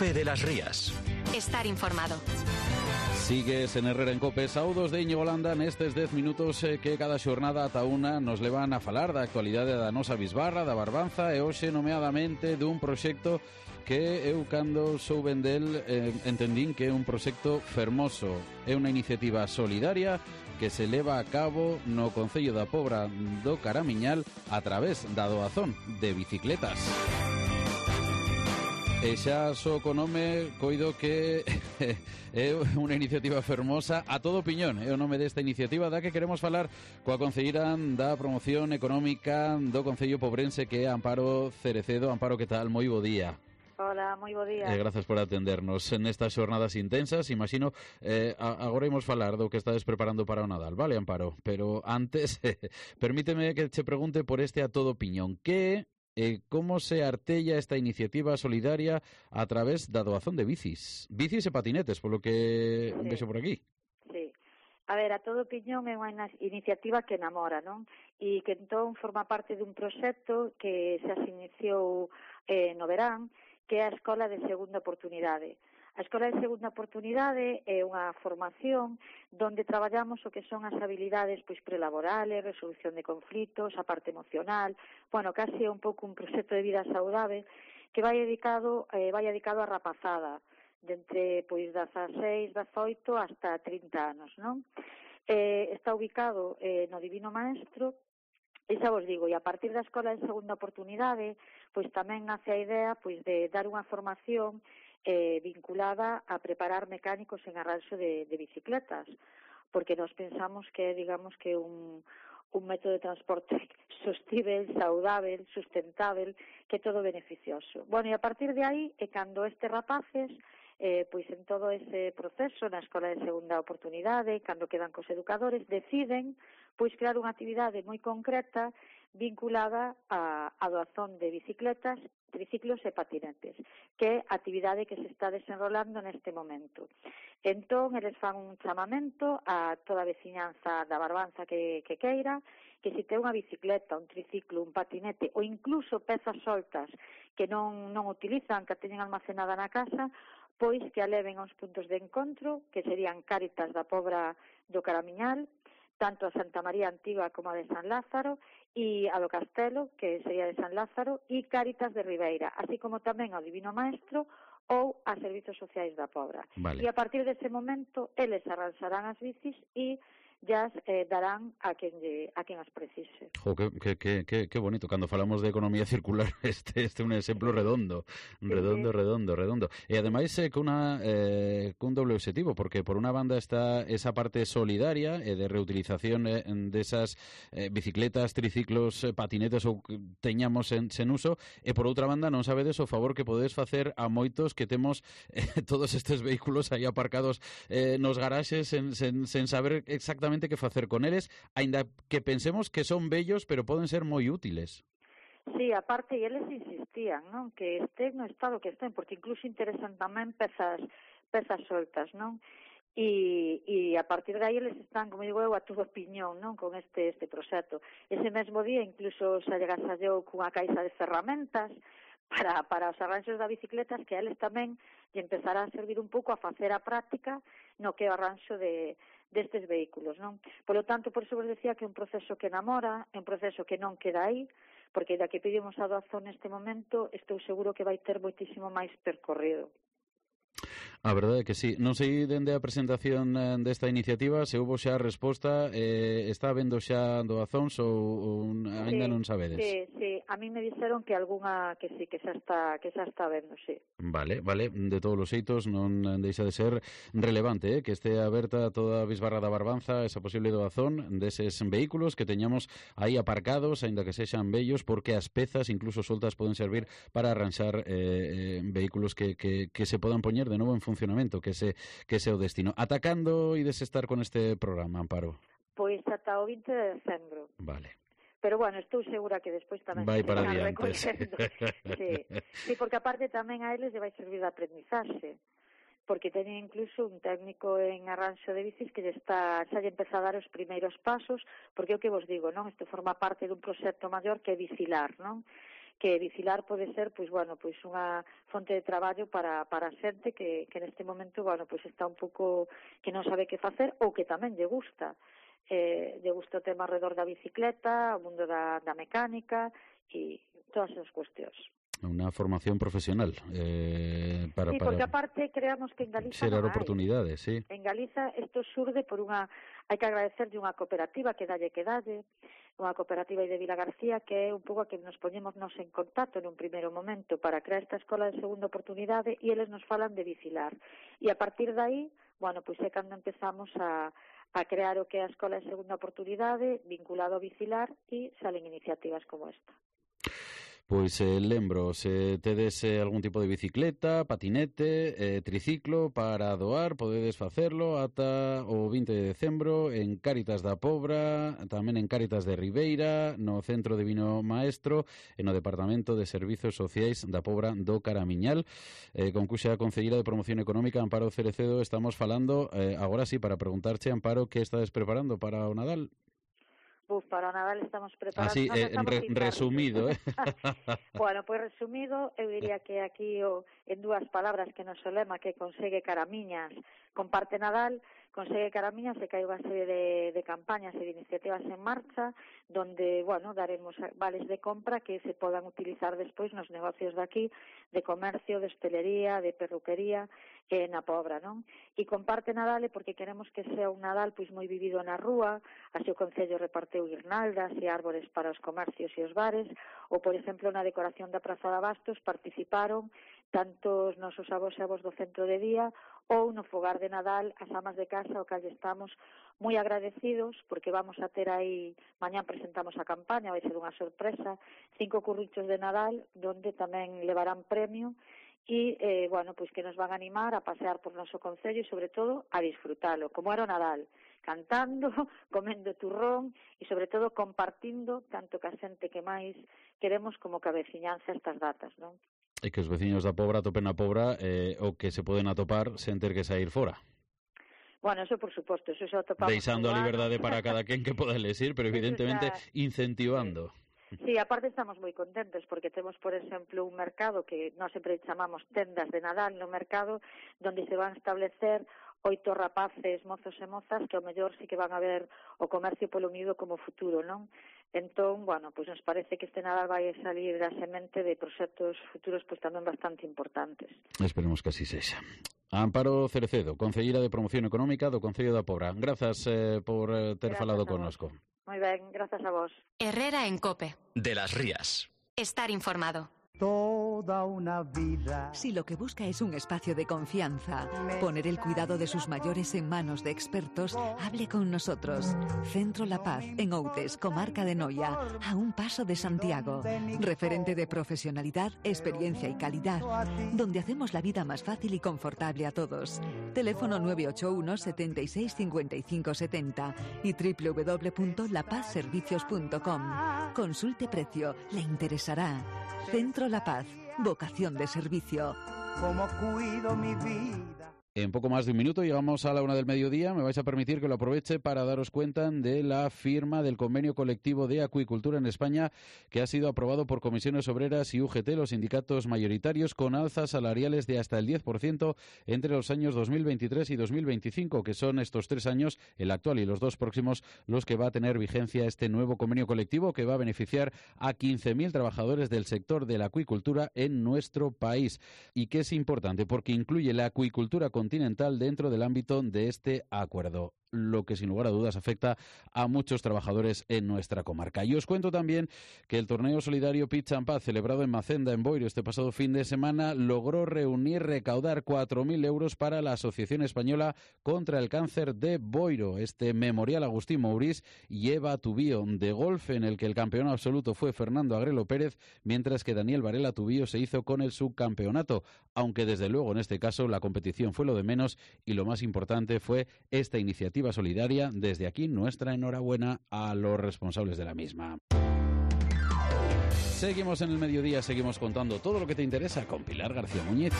COPE de las Rías. Estar informado. Sigues en Herrera en COPE, saudos de Íñigo Landa nestes 10 minutos que cada xornada ata unha nos levan a falar da actualidade da nosa bisbarra, da Barbanza, e hoxe nomeadamente dun proxecto que eu cando souben del entendín que é un proxecto fermoso. É unha iniciativa solidaria que se leva a cabo no Concello da Pobra do Caramiñal a través da doazón de bicicletas. E xa só co nome coido que é unha iniciativa fermosa a todo piñón. É o nome desta iniciativa da que queremos falar coa concelleira da Promoción Económica do Concello Pobrense, que é Amparo Cerecedo. Amparo, que tal? Moi bo día. Hola, moi bo día. Grazas por atendernos nestas xornadas intensas. Imagino, agora imos falar do que estades preparando para o Nadal, vale, Amparo? Pero antes, permíteme que che pregunte por este a todo piñón. Que como se artella esta iniciativa solidaria a través da doazón de bicis e patinetes, polo que vexo por aquí. Sí. A ver, a todo piñón é unha iniciativa que enamora, non? E que entón forma parte dun proxecto que xa se iniciou no verán, que é a Escola de Segunda Oportunidade. A Escola de Segunda Oportunidade é unha formación donde traballamos o que son as habilidades prelaborales, resolución de conflitos, a parte emocional, casi é un pouco un proxecto de vida saudável que vai dedicado á rapazada, de entre 16, 18 hasta 30 anos, non? Está ubicado no Divino Maestro. E xa vos digo, e a partir da Escola de Segunda Oportunidade, tamén nace a idea de dar unha formación vinculada a preparar mecánicos en arranxo de bicicletas, porque nós pensamos que digamos que un método de transporte sostível, saudável, sustentável, que é todo beneficioso. E a partir de aí é cando estes rapaces en todo ese proceso na Escola de Segunda Oportunidade, cando quedan cos educadores, deciden crear unha actividade moi concreta vinculada á doazón de bicicletas, triciclos e patinetes, que é a actividade que se está desenrolando neste momento. Entón, eles fan un chamamento a toda a veciñanza da Barbanza que queira, que se ten unha bicicleta, un triciclo, un patinete ou incluso pezas soltas que non utilizan, que a teñen almacenada na casa, pois que a leven aos puntos de encontro, que serían Cáritas da Pobra do Caramiñal, tanto a Santa María Antiga como a de San Lázaro, e a do Castelo, que sería de San Lázaro, e Cáritas de Ribeira, así como tamén ao Divino Maestro ou a Servizos Sociais da Pobra. Vale. E a partir dese momento, eles arranxarán as bicis e ya darán a quen as precise. Jo, que bonito. Cando falamos de economía circular, este é un exemplo redondo. E ademais cun doble objetivo, porque por unha banda está esa parte solidaria e de reutilización desas bicicletas, triciclos, patinetes ou que teñamos sen uso, e por outra banda non sabedes o favor que podedes facer a moitos que temos todos estes vehículos aí aparcados nos garaxes sen saber exactamente que facer con eles, aínda que pensemos que son bellos, pero poden ser moi útiles. Sí, aparte, e eles insistían, non? Que estén no estado que estén, porque incluso interesan tamén pezas soltas, non? E a partir de aí eles están, como digo eu, a todo piñón, non? Con este proxecto. Ese mesmo día incluso se agasallou cunha caixa de ferramentas para os arranxos da bicicletas, que a eles tamén lle empezará a servir un pouco a facer a práctica no que é o arranxo destes vehículos, non? Por lo tanto, por iso vos decía que é un proceso que enamora, é un proceso que non queda aí, porque da que pedimos a doazón neste momento, estou seguro que vai ter moitísimo máis percorrido. A verdade é que sí. Non sei dende a presentación desta iniciativa se houbo xa resposta, está habendo xa doazóns ou aínda non sabedes? Sí. A mí me dixeron que algunha que sí, que xa está habendo, sí. Vale. De todos os xeitos non deixa de ser relevante, que este aberta toda a bisbarra da Barbanza esa posible doazón deses vehículos que teñamos aí aparcados, aínda que sexan bellos, porque as pezas, incluso soltas, poden servir para arranxar vehículos que se podan poñer de novo en funcionamento, que ese o destino. Ata cando ides estar con este programa, Amparo? Pois ata o 20 de decembro. Vale. Pero estou segura que despois tamén vai para se adiante. Sí, porque aparte tamén a eles lle vai servir de aprendizaxe, porque teñen incluso un técnico en arranxo de bicis que xa lle empeza a dar os primeiros pasos, porque é o que vos digo, non? Isto forma parte dun proxecto maior que é Bicilar, non? que Bicilar pode ser, pois, bueno, pois unha fonte de traballo para a xente que neste momento, bueno, pois está un pouco que non sabe que facer ou que tamén lle gusta o tema alrededor da bicicleta, o mundo da mecánica e todas as cuestións. Unha formación profesional para porque aparte creamos que en Galiza xerar oportunidades, sí. En Galiza isto xurde por hai que agradecerlle unha cooperativa que dalle, unha cooperativa de Vila García, que é un pouco a que nos poñemos en contacto nun primeiro momento para crear esta escola de segunda oportunidade e eles nos falan de Bicilar. E a partir de aí, bueno, pois é cando empezamos a crear o que é a escola de segunda oportunidade vinculado a Bicilar e salen iniciativas como esta. Pois lembro, se tedes algún tipo de bicicleta, patinete, triciclo para doar, podedes facerlo ata o 20 de decembro en Cáritas da Pobra, tamén en Cáritas de Ribeira, no Centro Divino Maestro e no Departamento de Servizos Sociais da Pobra do Caramiñal. Con cuxa concelleira de Promoción Económica, Amparo Cerecedo, estamos falando, agora sí, para preguntarche, Amparo, que estades preparando para o Nadal? Para o Nadal estamos preparando... Así, resumido, Bueno, pois resumido, eu diría que aquí en dúas palabras que nos lema que consegue Caramiñas, comparte Nadal, consegue Caramiñas e que hai unha serie de campañas e de iniciativas en marcha donde, bueno, daremos vales de compra que se podan utilizar despois nos negocios de aquí, de comercio, de hostelería, de perruquería, na Pobra, non? E comparte Nadal porque queremos que sea un Nadal pois moi vivido na rúa, así o Concello reparteu guirnaldas e árbores para os comercios e os bares, ou, por exemplo, na decoración da Praza de Abastos participaron tanto os nosos avós e avós do centro de día ou no fogar de Nadal as amas de casa ao que estamos moi agradecidos porque vamos a ter aí, mañán presentamos a campaña, vai ser unha sorpresa, 5 currichos de Nadal donde tamén levarán premio e, bueno, pois que nos van a animar a pasear por noso concello e, sobre todo, a disfrutalo, como era o Nadal, cantando, comendo turrón e, sobre todo, compartindo tanto que a xente que máis queremos como que a veciñanza estas datas, non? E que os veciños da Pobra atopen a Pobra o que se poden atopar sen ter que sair fora. Bueno, eso por suposto, eso xa atopamos. Deixando a liberdade para cada quen que poda elegir, pero evidentemente incentivando. Sí, aparte estamos moi contentos porque temos, por exemplo, un mercado que nós sempre chamamos tendas de Nadal no mercado, donde se van a establecer 8 rapaces, mozos e mozas que ao mellor sí que van a ver o comercio polo unido como futuro, non? Entón, bueno, pois nos parece que este Nadal vai salir da semente de proxectos futuros pois tamén bastante importantes. Esperemos que así sexa. Amparo Cerecedo, concelleira de Promoción Económica do Concello da Pobra. Grazas por ter falado connosco. Moi ben, grazas a vos. Herrera en COPE. De las Rías. Estar informado. Toda una vida. Si lo que busca es un espacio de confianza, poner el cuidado de sus mayores en manos de expertos, hable con nosotros. Centro La Paz, en Outes, comarca de Noia, a un paso de Santiago. Referente de profesionalidad, experiencia y calidad, donde hacemos la vida más fácil y confortable a todos. Teléfono 981 76 55 70 y www.lapazservicios.com. Consulte precio, le interesará. Centro La Paz, vocación de servicio. Como cuido mi vida. En poco más de un minuto llegamos a la 1 del mediodía. Me vais a permitir que lo aproveche para daros cuenta de la firma del convenio colectivo de acuicultura en España que ha sido aprobado por comisiones obreras y UGT, los sindicatos mayoritarios, con alzas salariales de hasta el 10% entre los años 2023 y 2025, que son estos 3 años, el actual y los 2 próximos, los que va a tener vigencia este nuevo convenio colectivo que va a beneficiar a 15.000 trabajadores del sector de la acuicultura en nuestro país. Y que es importante porque incluye la acuicultura continental dentro del ámbito de este acuerdo, lo que sin lugar a dudas afecta a muchos trabajadores en nuestra comarca. Y os cuento también que el torneo solidario Pitch and Paz, celebrado en Macenda, en Boiro, este pasado fin de semana, logró recaudar 4.000 euros para la Asociación Española contra el Cáncer de Boiro, este memorial Agustín Mourís y Eva Tubío de golf, en el que el campeón absoluto fue Fernando Agrelo Pérez, mientras que Daniel Varela Tubío se hizo con el subcampeonato, aunque desde luego en este caso la competición fue lo de menos y lo más importante fue esta iniciativa solidaria. Desde aquí nuestra enhorabuena a los responsables de la misma. Seguimos en el mediodía, seguimos contando todo lo que te interesa con Pilar García Muñiz.